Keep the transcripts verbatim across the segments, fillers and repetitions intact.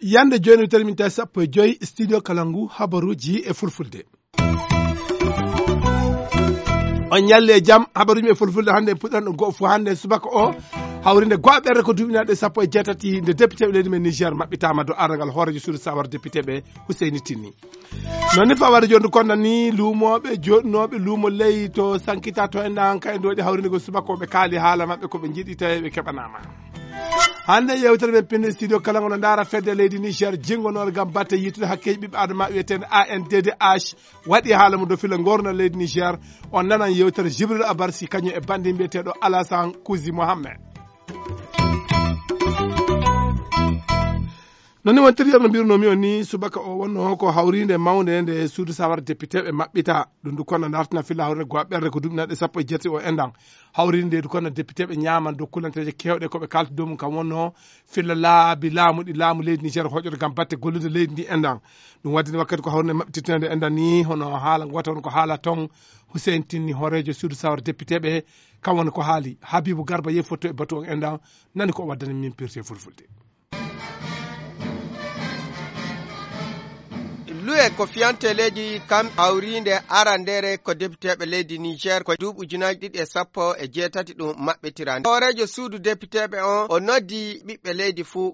Yande jooni, tawi min tawi sappo e joyi studio Kalangu, habaruuji e fulfulde. On ñalli e jam, habaruuji e fulfulde hannde, en puɗɗan ɗo go'o fof hannde subaka o. Hawrinde go'aɓerde ko duuɓi naatɗe sappo e jeetati nde député ɓe leydi men Niger maɓɓitaama dow arangal hooreejo suudu sawar député ɓe, Huseyni Tinni. Noon ni fawade jonde konda ni luumooɓe jooɗinooɓe luumo ley to Sankita to en ɗan kay nde waɗi hawrinde ko subaka o ɓe kaali haala maɓɓe ko ɓe njiɗi tawi ɓe keɓanaama. Hannde yewtere men pinne studio kala ngono ndaara fedde leydi Niger jingonoore ngam batte yitude hakkeeji ɓiɓɓe adama wiyeteende A N D D H waɗi haala mum dow filla ngorna leydi Niger. On nanan yewtere Jibril Abar si kañum e banndi mbiyeteeɗo Alasan Kuzi Mohammed. Noni wontiriyam no mbirunoomi on ni subaka o wonno ko hawrinde mawnde nde suudu sawar député ɓe maɓɓita ɗum du kono dartina filla hawrinde go'a ɓerde ko duɓinaɗe sappo e jetti o endan. Hawrinde du kono député ɓe ñaman dow kulanteeje kewɗe ko ɓe kalti dow mum kam wonno filla laabi laamu ɗi laamu leydi Niger hoƴoto ngam batte gollude leydi ndi endan. Ɗum waddini wakkati ko hawrinde maɓɓititende endan ni hono haala ngota won ko haala ton. Hussein Tinni hooreejo suudu sawar député ɓe kam woni ko haali. Habibu Garba yehi fotto e batu on endan. Nani ko o waddani min pirte fulfulde. Luwe ko fiyante leydi kam hawrinde arandere ko depiteɓe leydi Niger ko duuɓi ujunaaji ɗiɗi e sappo e jeetati ɗum maɓɓitira. Hooreejo suudu depiteɓe on o noddi ɓiɓɓe leydi fuu.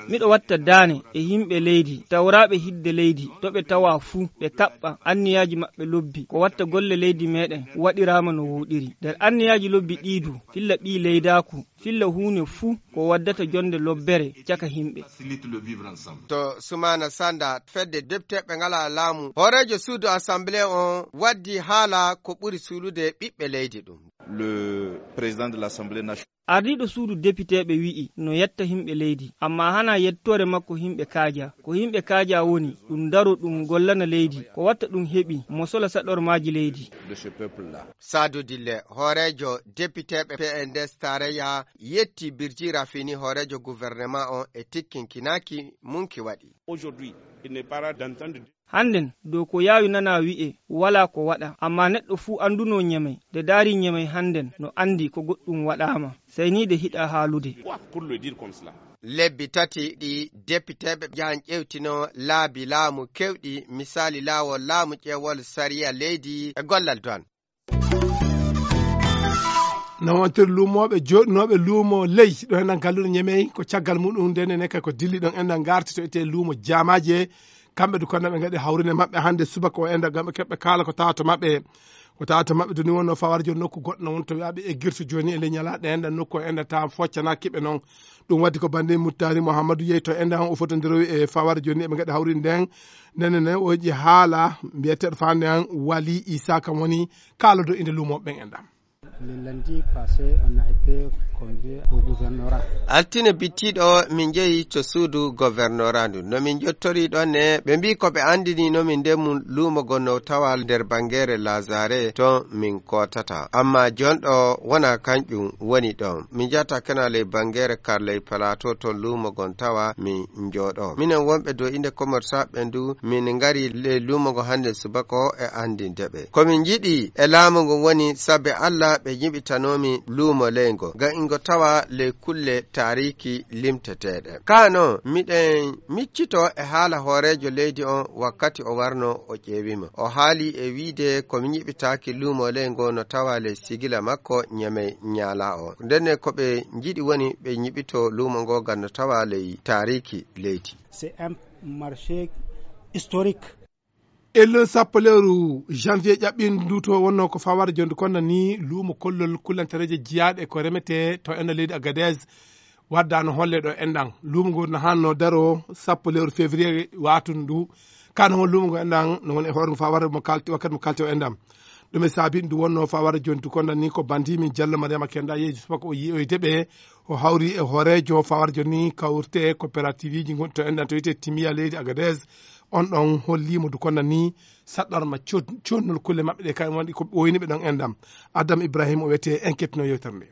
Miɗo watta daane e yimɓe leydi tawraaɓe hidde leydi to ɓe tawa fuu ɓe kaɓɓa anniyaaji maɓɓe lobbi ko watta golle leydi meɗen waɗiraama no wooɗiri. Nder anniyaaji lobbi ɗii du filla ɓii leydaaku filla huune fuu ko waddata jonde lobbere caka yimɓe. To Sumana Sanda fedde depteɓe ngala laamu hooreejo suudu assemblée on waddi haala ko ɓuri suulude ɓiɓɓe leydi ɗum. Le président de l'Assemblée nationale. Ardiiɗo suudu depiteeɓe wi'i no yetta yimɓe leydi amma hana yettoore makko yimɓe kaaja ko yimɓe kaaja woni ɗum daro ɗum gollana leydi ko watta ɗum heɓi mo sola saɗormaaji leydi. De ce peuple là. Saadu Dille hooreejo depiteeɓe P N D S tarayya yetti Birji Rafini hooreejo gouvernement on e tikkinkinaaki mum ki waɗi. Hannden dow ko yaawi nanaa wi'e walaa ko waɗaa amma neɗɗo fuu anndunoo Ñemey de daari Ñemey hannden no anndi ko goɗɗum waɗaama sey nii de hiɗaa haalude. Lebbi tati ɗi depiteeɓe njahan ƴeewtinoo laabi laamu keewɗi misaali laawol laamu ƴeewol sariya leydi e gollal duwan. No wontir luumooɓe jooɗinooɓe luumo ley ɗo enɗan galluɗo Ñemey ko caggal muɗum nden enen kay ko dilli ɗon enɗan ngarti to etee luumo jaamaaji e kamɓe du konnaɓe ngaɗi hawrine maɓɓe hannde subaka o enɗan ngam ɓe keɓɓe kaala ko tawa to maɓɓe. Ko tawa to maɓɓe duni wonno fawar jooni nokku goɗɗo no won to wiyaɓe e girtu jooni e ley ñalaaɗe enɗan nokku o enɗan tawa foccanaaki ɓe noon. Ɗum waddi ko banndi Muttari Muhammadu yehi to enɗan o fotondirowi e fawar jooni eɓe ngaɗi hawrinde nden. Nene ne o yiɗi haala mbiyeteeɗo faande an Wali Isa kam woni kaalodo inde luumooɓe ɓen enɗan. Le lundi passé, on a été convié au gouvernorat. Altine bittiiɗo min njehi to suudu gouvernorat ndu no min njottori ɗon ne ɓe mbi ko ɓe anndini no min ndemum luumo gon no tawa nder bangeere lazare ton min kotata amma jonɗo wona kanƴum woni ɗon min njata kana ley bangeere kar ley plateau ton luumo gon tawa min njooɗo minen wonɓe dow inde commerçant ɓen du min ngari ley luumo ngo hannde subaka o e anndinde ɓe ko min njiɗi e laamu ngun woni sabbe Allah ɓe nyiɓitanomi luumo ley ngo ngam ingo tawa ley kulle taariki limteteeɗe ka non miɗen miccito e haala hooreejo leydi on wakkati o warno o ƴeewima o haali e wiide ko mi nyiɓitaaki luumo ley ngo no tawa ley sigila makko Ñemey Ñaala o ndenne ko ɓe njiɗi woni ɓe nyiɓito luumo ngo ngam no tawa ley taariki leydi. C'est un marché historique. Ellon sappo lewru janvier ƴaɓɓindu ndu to wonno ko fawade jonde konda ni luumo kollol kullantereeje jiyaaɗe ko remete to enda leydi Agadez waddano holle ɗo enɗan luumo ngo no hanno daro sappo lewru février watundu ndu kano won luumo ngo enɗan no woni e hoore mo fawade mo kalti wakkati mo kalti o enɗan. Ɗum e saabi ndu wonno fawade joni du konda ni ko bandi min Jallo Mariama Kenda yeeji subaka o yiyoyde ɓe o hawri e hooreejo fawade joni kawrte coopérative ji gonɗi to enɗan to wiyete Timiya leydi Agadez. On ɗon holliimo du konda ni saɗɗorma codnol kulle maɓɓe ɗe kay wonɗi ko ɓooyni ɓe ɗon enɗam. Adam Ibrahim o wiyete enquête no yewtere nde.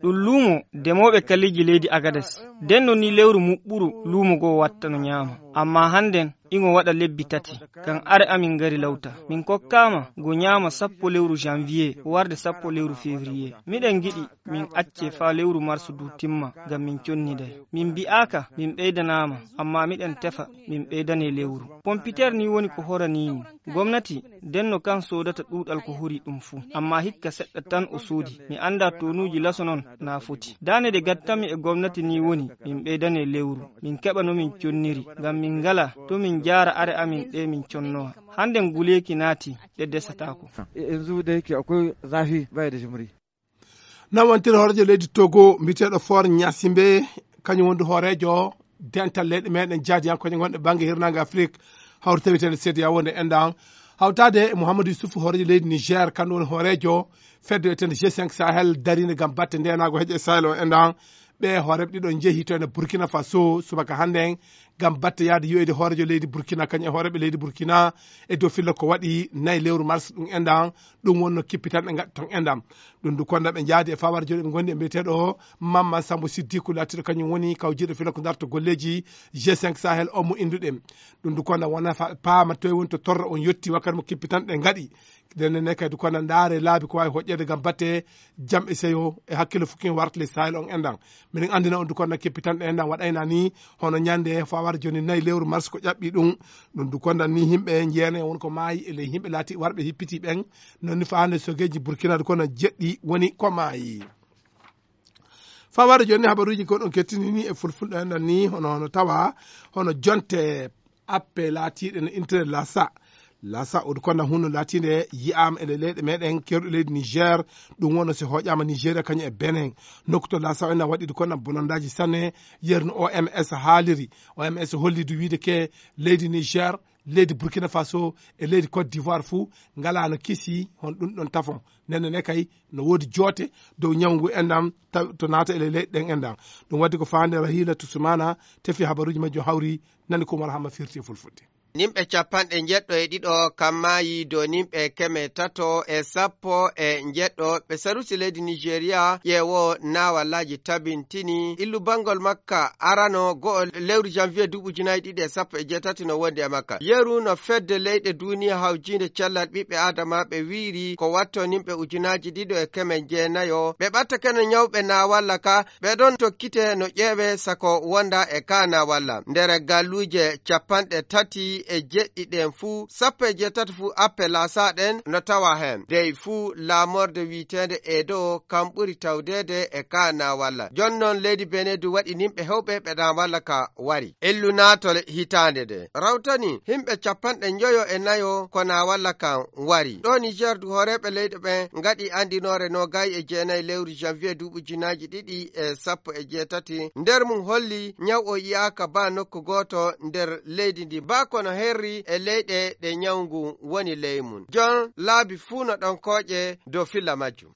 Ɗum luumo demooɓe kalliji leydi Agades. Denno ni lewru muɓɓuru luumo goo watta no ñaama. Amma hannden Iŋo waɗa lebbi tati, ngam are amin ngari lawta. Min kokkaama go nyaama sappo lewru janvier warde sappo lewru février. Miɗen ngiɗi min acce faa lewru mars du timma, ngam min conniday. Min mbi'aaka min ɓeydanaama, ammaa miɗen tefa min ɓeydane lewru. Pompiteer ni woni ko horanii min. Gomnati denno kan soodata ɗuuɗal ko hori ɗum fuu, ammaa hikka seɗɗa tan o soodi. Mi anndaa tonuuji laso non na foti. Daane de gattanmi e gomnati ni woni min ɓeydane lewru, min keɓa no min conniri, ngam min ngalaa to min njaara are amin ɗe min connowa. Hannden guleeki naati, ɗe desataako. E, yanzu da yake akwai zafi, baya da jimri. Nan wontere hooreejo leydi Togo, mbiyeteeɗo Faure Gnassingbé, kañum woni hooreejo dental leyɗe meɗen jaadiyankooje gonɗe bannge hirnaange Afrik, hawri taweteeɗo seediya wonde enɗan. Hawtaade e Mouhamadou Youssouf, hooreejo leydi Niger, kanko woni hooreejo fedde wiyeteende G cinq Sahel, dariinde ngam batte ndeenaagu heƴe e Sahel o enɗan. Ɓe hooreeɓe ɗiɗo njehi to ene Burkina Faso subaka hannden ngam batte yahde yoyde hooreejo leydi Burkina, kañum e hooreeɓe leydi Burkina, e dow filla ko waɗi nayi lewru mars ɗum enɗan. Ɗum wonno kippital ɓe ngaɗi ton enɗan. Ɗum du konda ɓe njaadi e fawar jooni ɓe ngondi e mbiyeteeɗo Mamman Sambo Siddiku, laatiiɗo kañum woni kawjiiɗo filla ko darto golleeji G cinq Sahel o mo innduɗen. Ɗum du konda wona fa-, paama toye woni to torra on yotti wakkati mo kippitan ɗe ngaɗi. Nden ne kadi kono ndaare laabi ko waawi hoƴƴeede ngam batte jam e seyo e hakkille fukki warta ley Sahel on enɗan. Miɗen anndina on du kono kippitanɗe enɗan waɗayna ni hono ñande fawar jooni nayi lewru mars ko ƴaɓɓi ɗum. Ɗum du konda ni yimɓe njeene won ko maayi e ley yimɓe laati warɓe hippiti ɓen. Non ni faande sogeeji Burkina du kono jeɗɗi woni ko maayi. Fawar jooni habaruuji ko ɗon kettini ni e fulfulɗo enɗan ni hono, hono tawa hono jonte appe laatiiɗe no intere lasa. Lasa o du konda hunno laatiinde yi'aama e leyɗe meɗen kerɗu leydi Niger. Ɗum wonno si hoƴaama Nigeria kañum e Benin. Nokku to lasa o ina waɗi du konda bonondaaji sanne, yerno O M S haaliri. O M S holli du wiide ke leydi Niger, leydi Burkina Faso e leydi Côte d'Ivoire fuu ngalaano kisi hon ɗum ɗon tafon. Nenne ne kay no woodi joote dow ñawu ngu enɗan taw to naata e ley leyɗe ɗen enɗan. Ɗum waɗi ko faande Rahila Tusumana tefi habaruuji majjum hawri nani ko Umar Hamma firti e fulfulde. Nimɓe capanɗe njeɗɗo e ɗiɗo kam maayi dow nimɓe keme tato e sappo e njeɗɗo ɓe sarusi leydi Nigeria ƴeewo naawallaaji tabintini illu banngol makka arano go'o lewru janvier duuɓi ujunaaji ɗiɗi e sappo e jeetati no wondi e makka. Yeru no fedde leyɗe duuniya hawjiinde cellal ɓiɓɓe aadamaaɓe wiiri ko watto nimɓe ujunaaji ɗiɗo e keme jeenayo ɓe ɓattake no ñawɓe naawalla ka ɓe ɗon tokkite no ƴeewe sako wonda e kaana walla nder galluuje capanɗe tati e jeɗɗi ɗen fuu, sappo e jeetati fuu appe laasaa ɗen no tawa heen. Dey fuu laamorde wiiteende Edo kam ɓuri tawdeede e kaana walla. Jooni noon leydi Benin du waɗi nimɓe heewɓe ɓe ɗan walla ka wari. Ellu naatol hitaande nde rawtani himɓe capanɗe njoyo e nayo ko na walla kan wari. Ɗo Niger du hooreeɓe leyɗe ɓen ngaɗi anndinoore noogay e jeenayi lewru janvier duuɓi ujunaaji ɗiɗi e sappo e jeetati. Nder mum holli ñaw o yi'aaka baa nokku gooto nder leydi ndi, baa kono herri e leyɗe ɗe ñaw ngun woni ley mum. Jon laabi fuu no ɗon kooƴe dow filla majjum.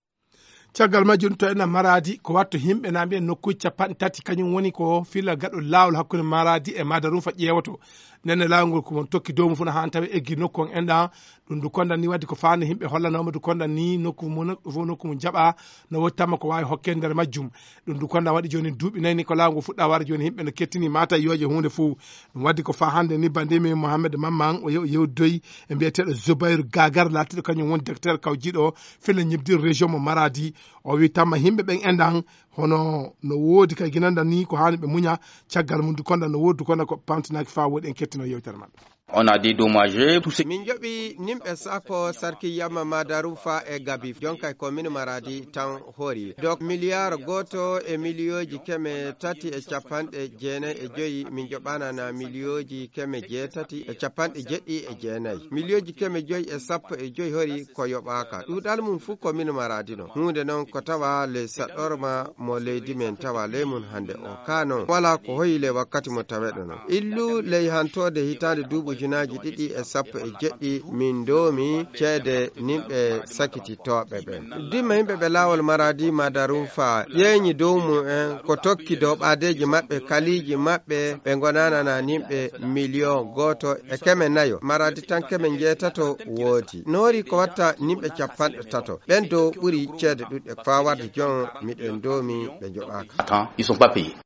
Caggal majjum to ena Maraadi, ko watto himɓe na mbiya nokkuuji capanɗe tati, kañum woni ko filla gaɗo laawol hakkunde Maraadi e Madarunfa ƴeewoto. Nden ne laawol ngol ko mon tokki dow mum fuu na haan tawi eggi nokku on enɗan. Ɗum du kondan ni waddi ko faande himɓe hollanooma du kondan ni nokku mo, nokku fof nokku mum jaɓa no woodi tamma ko waawi hokkee nder majjum. Ɗum du kondan waɗi jooni duuɓi nayi ni ko laawol ngol fuɗɗa wara jooni himɓe no kettini mata yooje huunde fuu. Ɗum waddi ko faa hannde ni banndimi Mohamed Mamman o yew-, yewdoyi e mbiyeteeɗo Zoubair Gagar laatiiɗo kañum woni directeur kawjiiɗo filla ñibdir région mo Maradi. O wi tamma himɓe ɓen enɗan hono no woodi kay ginanda ni ko haani ɓe muña caggal mum du kondan no woodi du kondan ko pamtinaaki faa woodi en kettino yewtere maɓɓe. On a dédommagé tout ce Min joɓi nimɓe sako sarki yamma Madarufa e Gabi jonka e commune Maradi tan hori. Donc miliyar goto e miliyooji keme tati e capanɗe jeenayi e joyi, min joɓanana miliyooji keme jeetati e capanɗe jeɗɗi e jeenayi. Miliyooji keme joyi e sappo e joyi hori ko yoɓaaka. Ɗuuɗal mum fuu commune Maradi non. Huunde non ko tawa ley saɗɗorma mo leydi men tawa ley mum hannde o. Ka non, walaa ko hoyi ley wakkati mo taweɗo non. Illu ley hantoode hitaande duuɓi ujunaaji ɗiɗi e sappo e jeɗɗi, min ndoomi ceede nimɓe sakititooɓe ɓen. Dimma yimɓe ɓe laawol Maradi Madarufa ƴeeñi dow mum en ko tokki dow ɓaadeeji maɓɓe, kaliiji maɓɓe, ɓe ngonanana nimɓe miliyon gooto e keme nayo. Maradi tan keme njeetato woodi. Noori ko watta nimɓe capanɗe tato. Ɓen dow ɓuri ceede ɗuɗɗe. Faa warde jon miɗen ndoomi ɓe njoɓaaka. Attends, ils sont pas payés.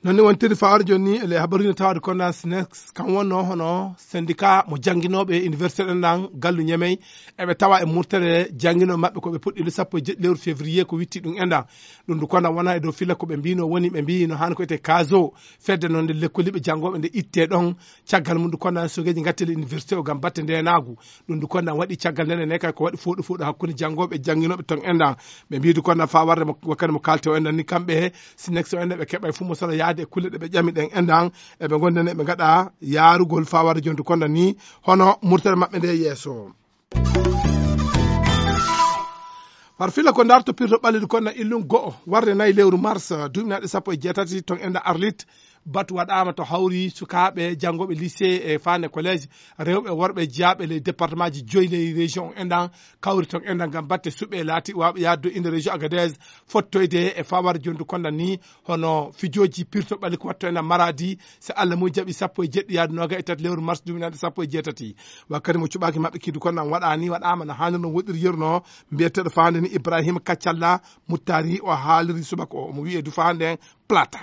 Noon ni wontiri fawaade jooni ni, ele habaruuji no tawaade kono SNES, kam wonnoo hono syndicat mo jannginooɓe université ɗen ɗan, gallu Ñemey, eɓe tawa e murtere jannginooɓe maɓɓe ko ɓe puɗɗi le sappo e jeɗɗi lewru février ko witti ɗum enɗan. Ɗum ndu kono wona e dow filla ko ɓe mbino woni, ɓe mbi no haani ko ete kaso, fedde noon nde lekkoliiɓe janngooɓe nde itte ɗon, caggal mum ndu kono sogeeji ngatteli université o ngam batte ndeenaagu. Ɗum ndu kono waɗi caggal nden ene kay ko waɗi fooɗo fooɗo hakkunde janngooɓe e jannginooɓe ton enɗan. Ɓe mbi ndu kono faa warde mo, wakkati mo kaalte o enɗan ni kamɓe he SNES o enɗan ɓe keɓay fuu mo sala yaade e kulle ɗe ɓe ƴami ɗen enɗan. Eɓe ngonda ne ɓe ngaɗa yaarugol faa warde jontu kono ni hono murtere maɓɓe nde yeeso. Par filla ko ndarto pirto ɓallidu kono illum go'o warde nayi lewru mars duuɓi naɗe sappo e jeetati ton enɗan Arlit. Batu waɗaama to hawri sukaaɓe janngooɓe lycée e faande collège, rewɓe e worɓe jeyaaɓe ley département ji joyi ley région enɗan, kawri ton enɗan ngam batte suɓe laati waaɓe yaade inde région Agadez, fottoyde e fawar jondu konda ni, hono fijooji pirto ɓalli ko watto enɗan Maradi, so Allah mum jaɓi sappo e jeɗɗi yaade nooga e tati lewru mars duuɓi naɗe sappo e jeetati. Wakkati mo cuɓaaki maɓɓe kiidu konɗan waɗaani, waɗaama no haanir no woɗɗiri yeru no, mbiyeteeɗo faande ni Ibrahima Kaccalla Muttari, o haaliri subaka o, omo wi'e du faande Plata.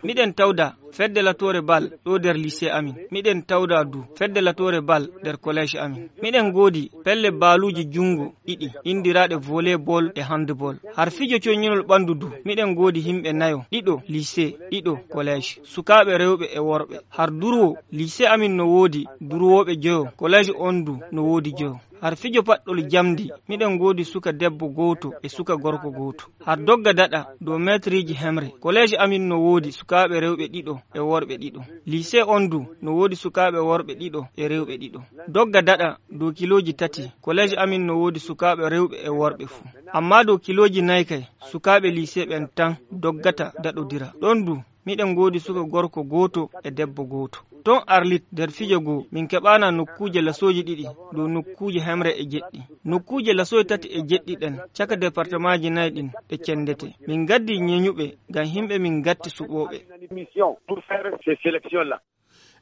Miɗen tawda fedde latoore bal ɗo nder lycée amin. Miɗen tawda du fedde latoore bal nder collège amin. Miɗen ngoodi pelle baaluuji junngo ɗiɗi, inndiraaɗe volleyball e handball. Har fijo coññinol ɓanndu du, miɗen ngoodi yimɓe nayo, ɗiɗo lycée, ɗiɗo collège. Sukaaɓe rewɓe e worɓe. Har durwo, lycée amin no woodi durwooɓe joyo, collège on du no woodi joyo. Har fijo paɗɗol jamndi, miɗen ngoodi suka debbo gooto e suka gorko gooto. Har dogga daɗa dow meetriiji hemre. Collège amin no woodi sukaaɓe rewɓe ɗiɗo e worɓe ɗiɗo. Lycée on du no woodi sukaaɓe worɓe ɗiɗo e rewɓe ɗiɗo. Dogga daɗa dow kilooji tati. Collège amin no woodi sukaaɓe rewɓe e worɓe fuu. Ammaa dow kilooji nayi kay, sukaaɓe lycée ɓen tan doggata daɗodira. Ɗon du, miɗen ngoodi suka gorko gooto e debbo gooto. Ton Arlit, nder fijo goo, min keɓaana nokkuuje lasooji ɗiɗi dow nokkuuje hemre e jeɗɗi. Nokkuuje lasooji tati e jeɗɗi ɗen, caka departemaaji nayi ɗin, ɗe cendete. Min ngaddi ñeñuɓe ngam yimɓe min ngatti suɓooɓe.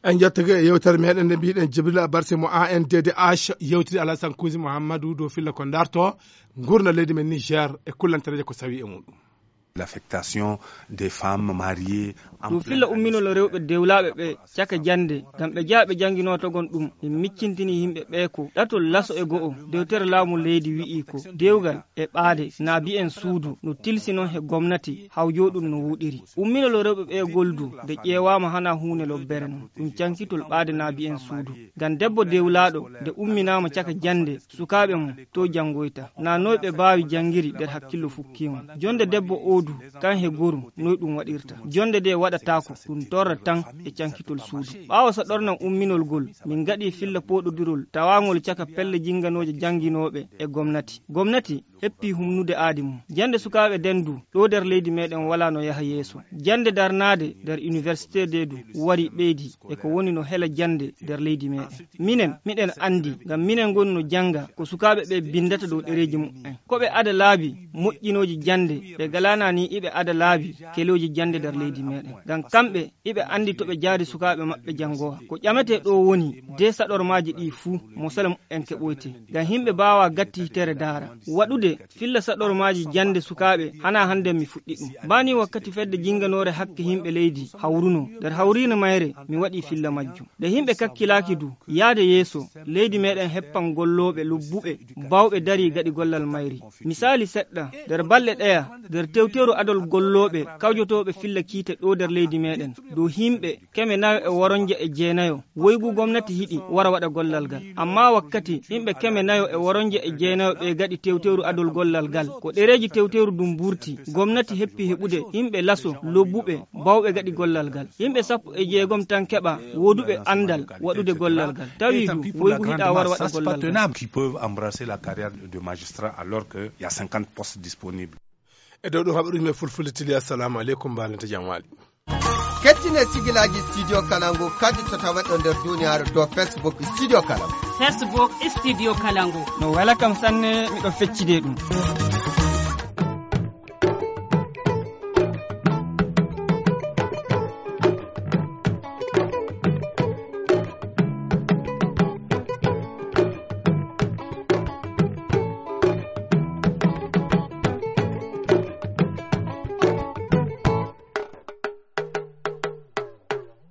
En njettake e yewtere meɗen nde mbiɗen Jibril Abarsi mo A N D D H yewtidi Alasan Kuusi Muhammadu dow filla ko darto ngurndan leydi men Niger e kullantereeje ko sawi e muɗum. L'affectation des femmes mariées en ɗum filla umminol rewɓe dewlaaɓe ɓe caka jannde, ngam ɓe jeyaa ɓe jannginoo togon ɗum. Min miccintini yimɓe ɓee ko ɗatol laso e go'o, dewtere laamu leydi wi'i ko dewgal e ɓaade naabi'en suudu no tilsi non he gomnati, haw jooɗum no wuuɗiri. Umminol rewɓe ɓee goldu nde ƴeewaama hana huunde lobbere non, ɗum cankitol ɓaade naabi'en suudu. Ngam debbo dewlaaɗo nde umminaama caka jannde, sukaaɓe mum to janngoyta. Na noy ɓe baawi janngiri nder hakkillo fukkiimo. Jonde debbo oo du, kan he goru, noy ɗum waɗirta? Jonde nde waɗataako, ɗum torra tan e cankitol suudu. Ɓaawo saɗornan umminol gol, min ngaɗi filla pooɗodirol tawaangol caka pelle jinnganooje jannginooɓe e gomnati. Gomnati heppi humnude aadi mum. Jannde sukaaɓe den du, ɗo nder leydi meɗen walaa no yaha yeeso. Jannde darnaade nder université de du, wari ɓeydi e ko woni no hela jannde nder leydi meɗen. Minen, miɗen anndi, ngam minen ngoni no jannga ko sukaaɓe ɓe binndata dow ɗereeji muɓɓen. Ko ɓe ada laabi moƴƴinooji jannde, ɓe galaana ni iɓe ada laabi kelooji jannde nder leydi meɗen. Ngam kamɓe, iɓe anndi to ɓe jaari sukaaɓe maɓɓe janngowa. Ko ƴametee ɗo woni de saɗormaaji ɗi fuu, mo sala muɓɓen keɓoyte. Ngam yimɓe mbaawa gatti hitere daara. Waɗude filla saɗormaaji jannde sukaaɓe, hana hannde mi fuɗɗi ɗum. Bani wakkati fedde jinnganoore hakke yimɓe leydi hawruno, nder hawriino mayre, mi waɗi filla majjum. Nde yimɓe kakkilaaki du, yaade yeeso, leydi meɗen heppan gollooɓe lobbuɓe, baawɓe darii gaɗi gollal mayri. Misaali seɗɗa, nder balɗe ɗeya, nder tewteeru adol gollooɓe kawjotooɓe filla kiite ɗo nder leydi meɗen, dow yimɓe keme nayo e woronje e jeenayo, woygu gomnati yiɗi wara waɗa gollal ngal. Amma wakkati yimɓe keme nayo e woronje e jeenayo ɓe gaɗi tewteeru adol gollal ngal, ko ɗereeji tewteeru ndun mburti, gomnati heppi heɓude yimɓe laso, lobbuɓe, baawɓe gaɗi gollal ngal. Yimɓe sappo e jeegom tan keɓa wooduɓe anndal waɗude gollal ngal. Tawi du, woygu hiɗa wara waɗa gollal ngal. Qui peuvent embrasser la carrière de magistrat alors qu'il y a cinquante postes disponibles. E dow ɗum haɓɓe ɗum e fulfulde tili, assalamu aleykum, mbalante jam waali. Kettine sigilaaji Studio Kalangu kadi to taweɗo nder duniyaaru dow Facebook Studio Kalangu. Facebook Studio Kalangu. No wela kam sanne, miɗo feccide ɗum.